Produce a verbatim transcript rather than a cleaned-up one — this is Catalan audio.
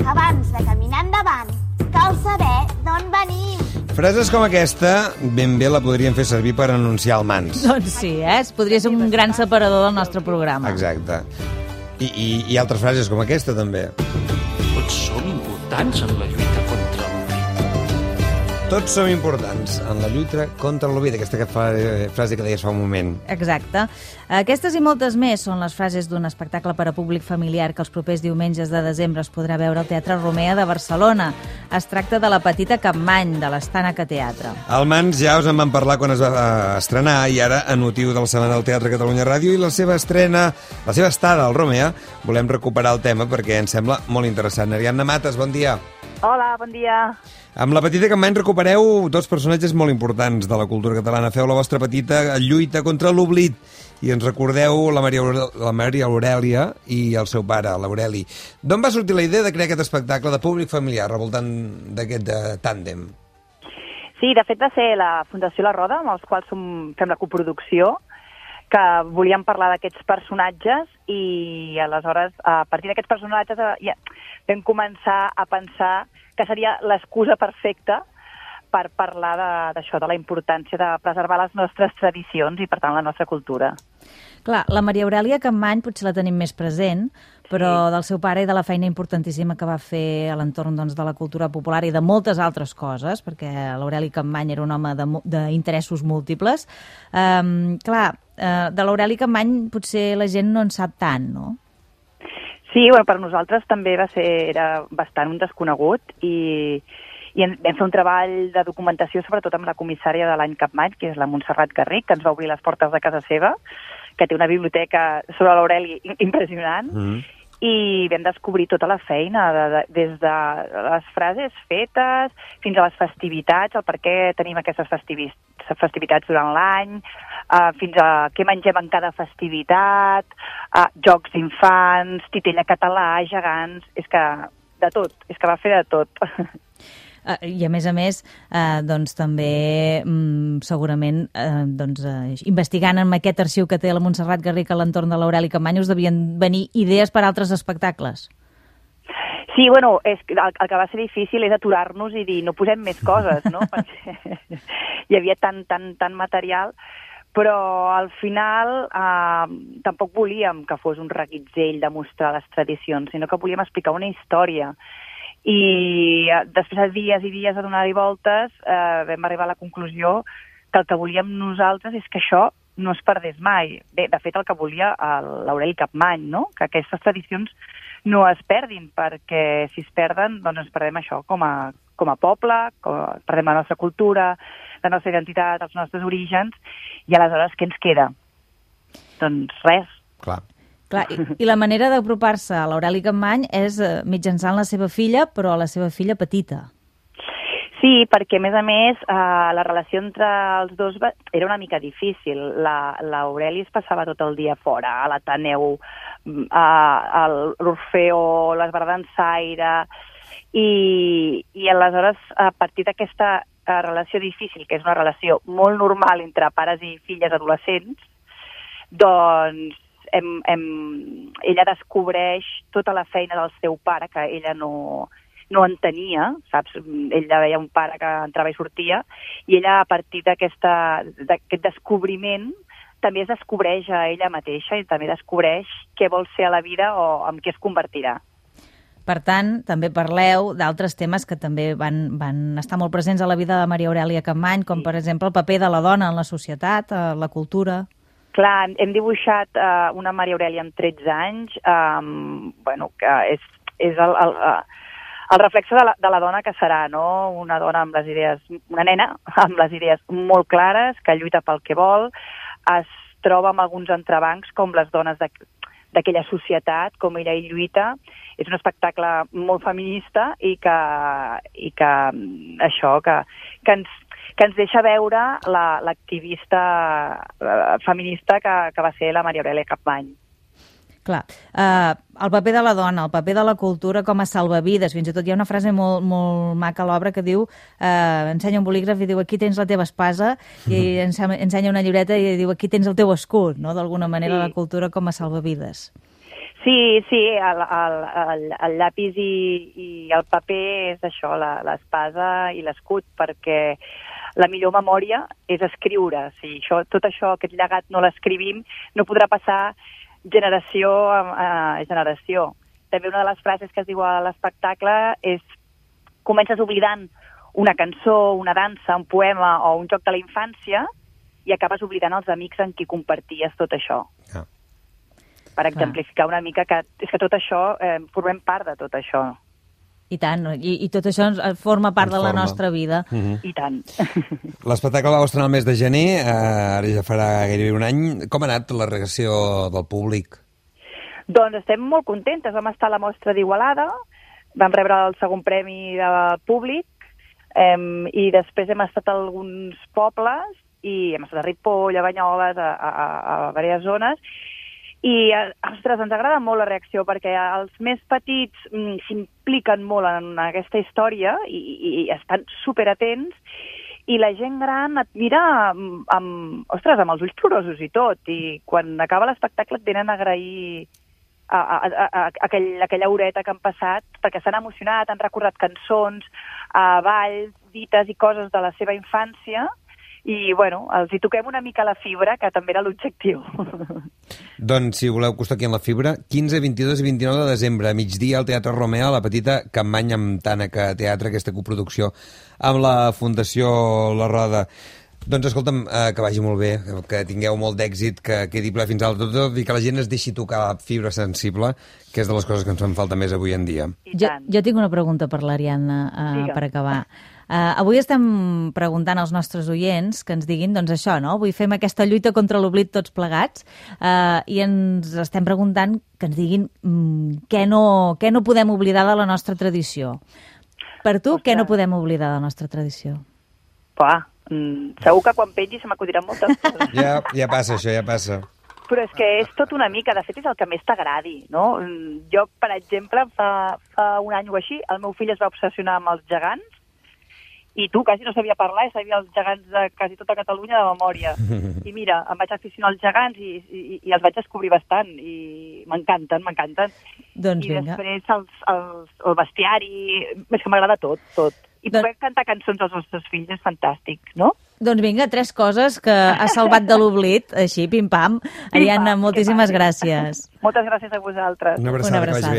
Abans de caminar endavant, cal saber d'on venim. Frases com aquesta ben bé la podríem fer servir per anunciar el Mans. Doncs sí, eh? Podria ser un gran separador del nostre programa. Exacte. I, i, i altres frases com aquesta, també. Tots som importants en la lluita contra l'oblit. Tots som importants en la lluita contra l'oblit. Aquesta frase que deies fa un moment. Exacte. Aquestes i moltes més són les frases d'un espectacle per a públic familiar que els propers diumenges de desembre es podrà veure al Teatre Romea de Barcelona. Es tracta de La petita Capmany, de l'Estànac Teatre. El Mans ja us en van parlar quan es va estrenar i ara, en motiu de la Setmana del Teatre Catalunya Ràdio i la seva estrena, la seva estada al Romea, volem recuperar el tema perquè ens sembla molt interessant. Ariadna Mates, bon dia. Hola, bon dia. Amb La petita Capmany recupereu dos personatges molt importants de la cultura catalana. Feu la vostra petita lluita contra l'oblit i ens recordeu la Maria, la Maria Aurèlia i el seu pare, l'Aureli. D'on va sortir la idea de crear aquest espectacle de públic familiar, revoltant d'aquest tàndem? Sí, de fet va ser la Fundació La Roda, amb els quals som, fem la coproducció, que volíem parlar d'aquests personatges i aleshores, a partir d'aquests personatges, ja vam començar a pensar que seria l'excusa perfecta per parlar d'això, de, de la importància de preservar les nostres tradicions i, per tant, la nostra cultura. Clar, la Maria Aurèlia Capmany potser la tenim més present, però sí, del seu pare i de la feina importantíssima que va fer a l'entorn doncs, de la cultura popular i de moltes altres coses, perquè l'Aureli Capmany era un home d'interessos múltiples. Um, clar, uh, de l'Aureli Capmany potser la gent no en sap tant, no? Sí, bueno, per nosaltres també va ser, era bastant un desconegut i, i vam fer un treball de documentació sobretot amb la comissària de l'any Capmany, que és la Montserrat Garric, que ens va obrir les portes de casa seva, que té una biblioteca sobre l'Aureli impressionant, mm. i vam descobrir tota la feina, de, de, des de les frases fetes fins a les festivitats, el per què tenim aquestes festivi festivitats durant l'any, uh, fins a què mengem en cada festivitat, uh, jocs d'infants, titella català, gegants, és que de tot, és que va fer de tot. Uh, I a més a més, uh, doncs també um, segurament uh, doncs, uh, investigant en aquest arxiu que té la Montserrat Garric a l'entorn de l'Aureli Capmany us devien venir idees per a altres espectacles. Sí, bueno, és, el, el que va ser difícil és aturar-nos i dir no posem més coses, no? Perquè hi havia tant, tant, tant material, però al final eh, tampoc volíem que fos un reguitzell de mostrar les tradicions, sinó que volíem explicar una història. I després de dies i dies de donar-hi voltes eh, vam arribar a la conclusió que el que volíem nosaltres és que això no es perdés mai. Bé, de fet, el que volia l'Aureli Capmany, no? Que aquestes tradicions no es perdin, perquè si es perden, doncs ens perdem això com a, com a poble, com a, perdem la nostra cultura, la nostra identitat, els nostres orígens, i aleshores què ens queda? Doncs res. Clar. Clar, i, i la manera d'apropar-se a l'Aureli Capmany és eh, mitjançant la seva filla, però la seva filla petita. Sí, perquè, a més a més, eh, la relació entre els dos va... era una mica difícil. L'Aureli es passava tot el dia fora, a l'Ateneu, a l'Orfeó, les Bardansaire, i, i aleshores, a partir d'aquesta relació difícil, que és una relació molt normal entre pares i filles adolescents, doncs hem, hem, ella descobreix tota la feina del seu pare, que ella no... no entenia, saps? Ella veia un pare que entrava i sortia, i ella, a partir d'aquest descobriment, també es descobreix a ella mateixa i també descobreix què vol ser a la vida o en què es convertirà. Per tant, també parleu d'altres temes que també van, van estar molt presents a la vida de Maria Aurèlia Capmany, com, per exemple, el paper de la dona en la societat, la cultura... Clar, hem dibuixat uh, una Maria Aurèlia amb tretze anys, um, bueno, que és, és el... el uh, el reflexe de la, de la dona que serà, no? Una dona amb les idees, una nena amb les idees molt clares, que lluita pel que vol, es troba amb alguns entrebancs com les dones d'aquella societat, com ella hi lluita. És un espectacle molt feminista i que, i que això, que, que, ens, que ens deixa veure l'activista la, feminista que, que va ser la Maria Aurèlia Capmany. Clar, uh, el paper de la dona, el paper de la cultura com a salvavides, fins i tot hi ha una frase molt, molt maca a l'obra que diu, uh, ensenya un bolígraf i diu aquí tens la teva espasa, i ensenya una llibreta i diu aquí tens el teu escut, no? D'alguna manera, sí. La cultura com a salvavides. Sí, sí, el, el, el, el llapis i, i el paper és això, l'espasa i l'escut, perquè la millor memòria és escriure. Si això, tot això, aquest llegat, no l'escrivim, no podrà passar generació a, a generació. També una de les frases que es diu a l'espectacle és comences oblidant una cançó, una dansa, un poema o un joc de la infància i acabes oblidant els amics amb qui comparties tot això. Ah. Per exemplificar una mica que és que tot això, eh, formem part de tot això. I tant, i, i tot això forma part ens de la forma. nostra vida. Uh-huh. I tant. L'espectacle va estrenar el mes de gener, eh, ara ja farà gairebé un any. Com ha anat la reacció del públic? Doncs estem molt contentes. Vam estar a la mostra d'Igualada, vam rebre el segon premi del públic, eh, i després hem estat a alguns pobles, i hem estat a Ripoll, a Banyoles, a, a, a, a diverses zones, i, ostres, ens agrada molt la reacció, perquè els més petits mm, s'impliquen molt en aquesta història i, i, i estan superatents, i la gent gran et mira amb, amb, ostres, amb els ulls plorosos i tot, i quan acaba l'espectacle et venen a agrair a, a, a, a, aquell, aquella horeta que han passat, perquè s'han emocionat, han recordat cançons, a balls, dites i coses de la seva infància, i, bueno, els hi toquem una mica la fibra, que també era l'objectiu. Doncs, si voleu costar aquí en la fibra, quinze, vint-i-dos i vint-i-nou de desembre, a migdia, al Teatre Romea, a la petita Capmany amb Tànec Teatre, aquesta coproducció amb la Fundació La Roda. Doncs, escolta'm, eh, que vagi molt bé, que tingueu molt d'èxit, que quedi ple fins al tot, i que la gent es deixi tocar la fibra sensible, que és de les coses que ens fan falta més avui en dia. Jo, jo tinc una pregunta per l'Ariadna, eh, per acabar. Uh, avui estem preguntant als nostres oients que ens diguin, doncs això, no? Avui fem aquesta lluita contra l'oblit tots plegats, uh, i ens estem preguntant que ens diguin mm, què, no, què no podem oblidar de la nostra tradició. Per tu, Ostres. Què no podem oblidar de la nostra tradició? Pua, mm, segur que quan pengi se m'acudiran moltes coses. Ja, ja passa això, ja passa. Però és que és tot una mica, de fet és el que més t'agradi, no? Jo, per exemple, fa, fa un any o així, el meu fill es va obsessionar amb els gegants, i tu quasi no sabia parlar i sabia els gegants de quasi tota Catalunya de memòria. I mira, em vaig aficionar als gegants i, i, i els vaig descobrir bastant i m'encanten, m'encanten. Doncs I vinga. després els, els, el bestiari, és que m'agrada tot, tot. I Don... poder cantar cançons als nostres fills és fantàstic, no? Doncs vinga, tres coses que has salvat de l'oblit, així, pim-pam. Ariadna, moltíssimes gràcies. Moltes gràcies a vosaltres. Una abraçada, Una abraçada. Que vagi bé.